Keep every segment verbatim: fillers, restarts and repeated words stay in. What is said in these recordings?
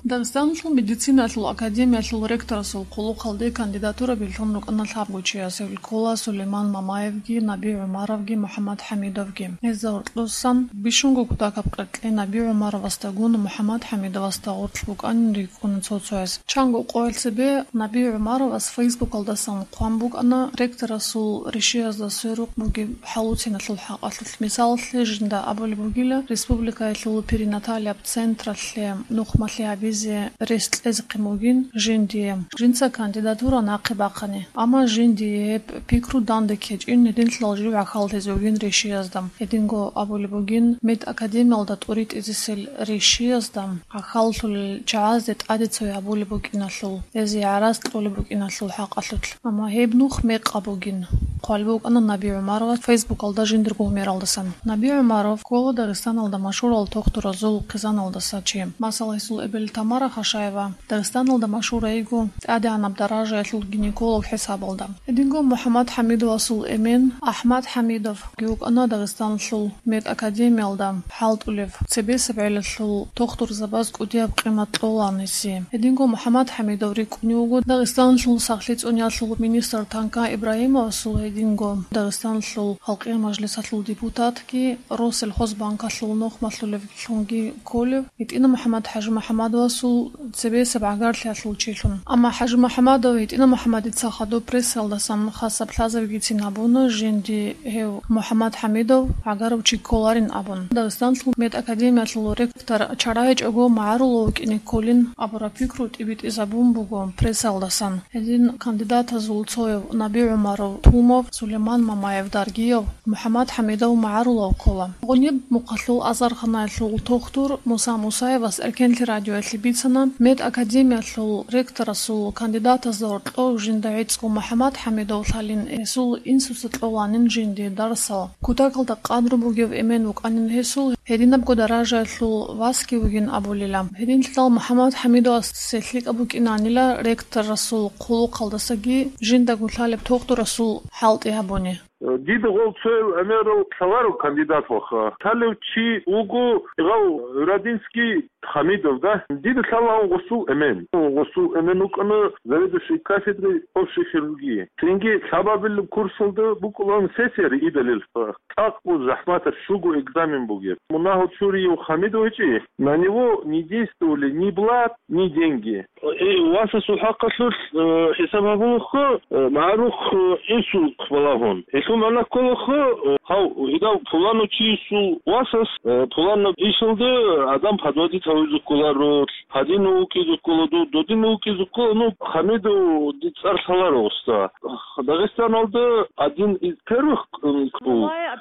Дагъистаналъул медицинаялъул академиялъул ректорасул хъулухъалде кандидатура билълъун рукӀана лъабго чияс, гьел ккола Сулейман Мамаевги, Наби ГӀумаровги, МухӀаммад ХӀамидовги. Гьезда гьоркьосан бищунго кутакаб къеркьей Наби ГӀумаровасдагун МухӀаммад ХӀамидовасда гъоркь букӀанин рикӀкӀуна цо-цояс. Чанго къоялъ цебе Наби ГӀумаровас Фейсбукалдасан хъван букӀана ректорасул ришиязда сверухъ бугеб хӀалуценалъул хӀакъалъулъ. Мисалалъе, жинда абулеб бугила, республикаялъул перинаталияб централъе нухмалъи гьабизе рес кьезехъин бугин жиндие, жинца кандидатура нахъе бахъани. Амма жиндие гьеб пикру данде ккечӀин, гьединлъидал жив гӀахьаллъизе вугин ришиязда. Гьединго абулеб бугин, медакадемиялда тӀуритӀизесел ришиязда гӀахьаллъулел чагӀазде тӀаде цояб гьабулеб букӀиналъул, гьезие гӀарац кьолеб букӀиналъул хӀакъалъулъ. Амма гьеб нух мекъаб бугин, хъван букӀана Наби ГӀумаровас Фейсбукалда жиндирго гьумералдасан. Наби ГӀумаров ккола Дагъистаналда машгьурал тохтуразул хъизаналдаса чи. Масала, гьесул эбел Тамара Хашаева Дагъистаналда машгьур йиго тӀадегӀанаб даражаялъул гинеколог хӀисабалда. Гьединго МухӀаммад ХӀамидовасул эмен АхӀмад ХӀамидов вукӀана Дагъистаналъул медакадемиялда хӀалтӀулев, цебесеб гӀелалъул тохтурзабаз кӀудияб къимат кьолаан гьесие. Гьединго МухӀаммад ХӀамидов рикӀкӀунев вуго Дагъистаналъул сахлъи цӀуниялъул министр Танка Ибрагьимовасул, гьединго Дагъистаналъул Халкъиял мажлисалъул депутатги, Россельхозбанкалъул нухмалъулевлъунги кколев, гьитӀина МухӀаммад ХӀажимухӀаммадовасул цебесеб гӀагарлъиялъул чилъун. Амма ХӀажимухӀаммадов гьитӀина МухӀаммадица хадуб прессаялдасан хасаб лъазабигицин гьабуна, жинди гьев МухӀаммад ХӀамидов гӀагарав чи кколарин абун. Дагъистанлъул медакадемиялъул ректор чарайчӀого магӀарулав вукӀине кколин абураб пикру тӀибитӀизабун буго прессаялдасан. Гьедин кандидатазул цояв Наби ГӀумаров, Тумов, Сулейман Мамаев, Даргиев, МухӀаммад ХӀамидов магӀарулав ккола. Гъуниб Мухъалъул азарханаялъул тохтур Муса Мусаевас Эркенлъи радиоялъе бицана, медакадемиялъул ректорасул кандидатазда гьоркьов жинда гӀицӀго МухӀаммад ХӀамидов лъалин, гьесул инсуца кьоланин жинди дарсал. Кутакалда къадру бугев эмен вукӀанин гьесул, гьединабго даражаялъул васги вугин абулила. Гьединлъидал МухӀаммад ХӀамидовасе лъикӀаб букӀинанила ректорасул хъулухъалдасаги жиндаго лъалеб тохтурасул хӀалтӀи гьабуни. Дида гъол цояв гӀемерал лъаларо кандидат ваха. Лъалев чи вуго гъав Радинский Хамидов, да? Дида лъалаан гъосул эмен. Гъосул эмен вукӀана заведующий кафедрой общей хирургии. Цинги лъабабилеб курсалда букӀулаан сессия риидалилха. ЦӀакъго захӀматаб щуго экзамен бугеб. Мунагьал чурияв Хамидов гьечӀи. На него не действовали ни блат, ни деньги. Э, васасул хӀакъалъулъ, э, хӀисаб гьабулахъо, э, магӀарухъ, э, инсулт балагьун. Гьелъул магӀна кколахъо, э, гьав, гьедав пуланав чиясул васас, э, пуланаб ишалда адам подводить гьавизе кколаро, гьадинав вукӀизе ккола, дов додинав вукӀизе ккола, ну, Хамидов цӀар лъаларо, уста. Дагъистаналда один из первых, э, ккол, э,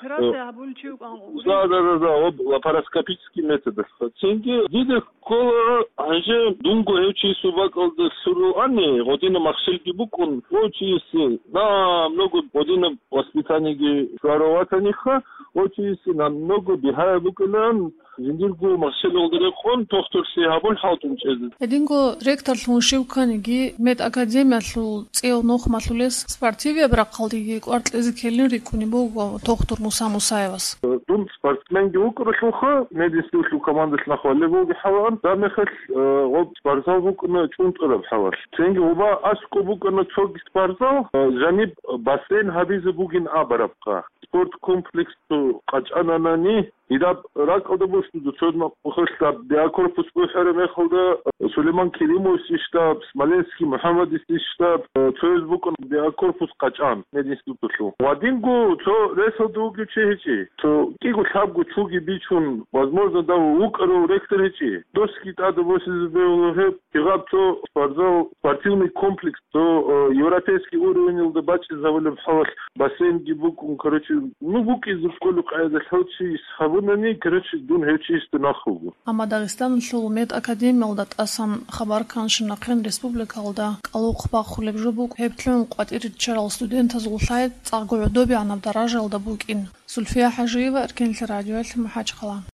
да, да, да, да, об лапароскопический методалъ. Цинги дида ккола, гьанже дунго гьев чиясул бакӀалда лъугьунани, гъодина махщелги букӀун, гъов чиясе намного гъодина воспитаниеги щварав ватаниха, гъов чиясе намного бигьаяб букӀилан, жиндирго махщелалда рекъон тохтурлъи гьабун хӀалтӀун чӀезе. Гьединго ректорлъун щив кканиги, медакадемиялъул цӀияв нухмалъулес спортивияб рахъалдеги кӀвар кьезе ккелин рикӀкӀунеб буго тохтур Муса Мусаевас. Дун спортсменги вукӀаралъулха, мединститутлъул командалъ нахъ валеб бугеб хӀалалъ, гьебмехалъ, э, гъоб спортзал букӀана чӀунтӀараб хӀалалъ. Цинги гъоба аскӀоб букӀана цоги спортзал, э, жаниб бассейн гьабизе бугин абарабха. Спорт комплекс цо къачӀананани, гьедаб ракӀалда босуда цо махъулъаб биакорпус бухӀараб мехалда Сулейман Керимовиси штаб, Смоленский МухӀаммадиси штаб, э, цояз букӀун биакорпус къачӀан мединститутлъул. Гьадинго цо ресалда вугев чи гьечӀи. Цо кӀиго-лъабго чуги бичун, возможно, дав вукӀарав ректор гьечӀи. Досги тӀаде босизе бегьула гьеб, гьеб цо спортзал, спортивный комплекс, цо, э, европейский уровеньалда бачӀинабулеб хӀалалъ бассейнги букӀун, короче, ну, букӀизе кколеб къайдалъ гьев чияс гьабунани, короче, дун гьев чиясда нахъ вуго. Амма Дагъистаналъул медакадемиялда тӀасан хабар кканщинахъе республикалда кӀалухъ бахулеб жо букӀ гьеб лъугӀун къватӀире риччарал студентазул лъай цӀакъго гӀодобегӀанаб даражаялда букӀин. Сульфия ХӀажиева, Эркенлъи радиоялъ, МахӀачхъала.